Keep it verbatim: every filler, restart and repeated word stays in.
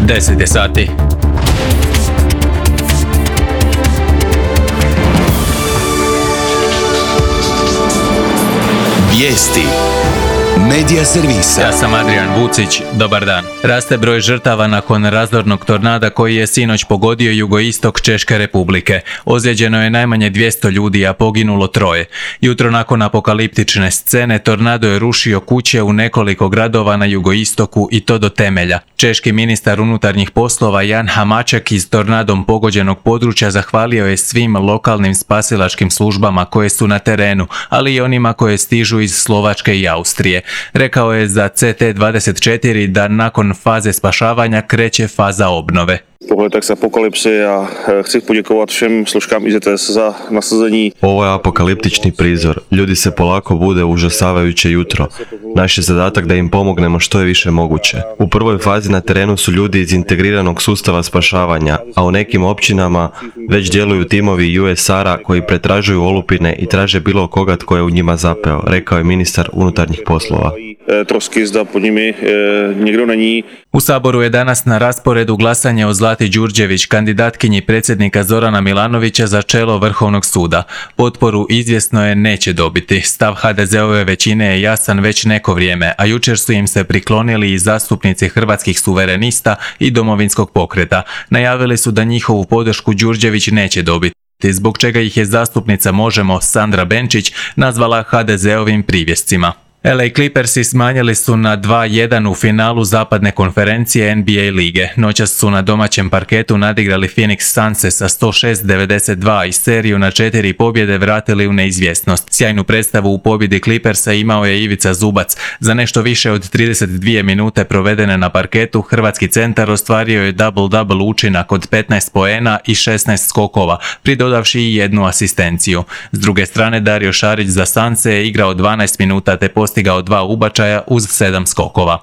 deset je sati. Vijesti Medija servisa. Ja sam Adrian Vucić, dobar dan. Raste broj žrtava nakon razornog tornada koji je sinoć pogodio jugoistok Češke Republike. Ozlijeđeno je najmanje dvjesto ljudi, a poginulo troje. Jutro nakon apokaliptične scene tornado je rušio kuće u nekoliko gradova na jugoistoku i to do temelja. Češki ministar unutarnjih poslova Jan Hamáček iz tornadom pogođenog područja zahvalio je svim lokalnim spasilačkim službama koje su na terenu, ali i onima koje stižu iz Slovačke i Austrije. Rekao je za C T dvadeset četiri da nakon faze spašavanja kreće faza obnove. Pohled tak z apokalypsy a chci poděkovat všem složkám I Z T S za nasazení. Ovo je apokaliptični prizor. Ljudi se polako bude užasavajuće jutro. Naš je zadatak da im pomognemo što je više moguće. U prvoj fazi na terenu su ljudi iz integriranog sustava spašavanja, a u nekim općinama već djeluju timovi U S R-a koji pretražuju olupine i traže bilo koga tko je u njima zapeo, rekao je ministar unutarnjih poslova. Trosky zda pod njimi nikdo není. U Saboru je danas na rasporedu glasanje o Zlati Đurđević, kandidatkinji predsjednika Zorana Milanovića za čelo Vrhovnog suda. Potporu izvjesno je neće dobiti. Stav H D Z-ove većine je jasan već neko vrijeme, a jučer su im se priklonili i zastupnici Hrvatskih suverenista i Domovinskog pokreta. Najavili su da njihovu podršku Đurđević neće dobiti, zbog čega ih je zastupnica Možemo Sandra Benčić nazvala H D Z-ovim privjescima. L A Clippersi smanjili su na dva jedan u finalu zapadne konferencije N B A lige. Noćas su na domaćem parketu nadigrali Phoenix Sunse sa sto šest devedeset dva i seriju na četiri pobjede vratili u neizvjesnost. Sjajnu predstavu u pobjedi Clippersa imao je Ivica Zubac. Za nešto više od trideset dvije minute provedene na parketu, hrvatski centar ostvario je double-double učinak od petnaest poena i šesnaest skokova, pridodavši i jednu asistenciju. S druge strane, Dario Šarić za Sunse je igrao dvanaest minuta te postigao dva ubačaja uz sedam skokova.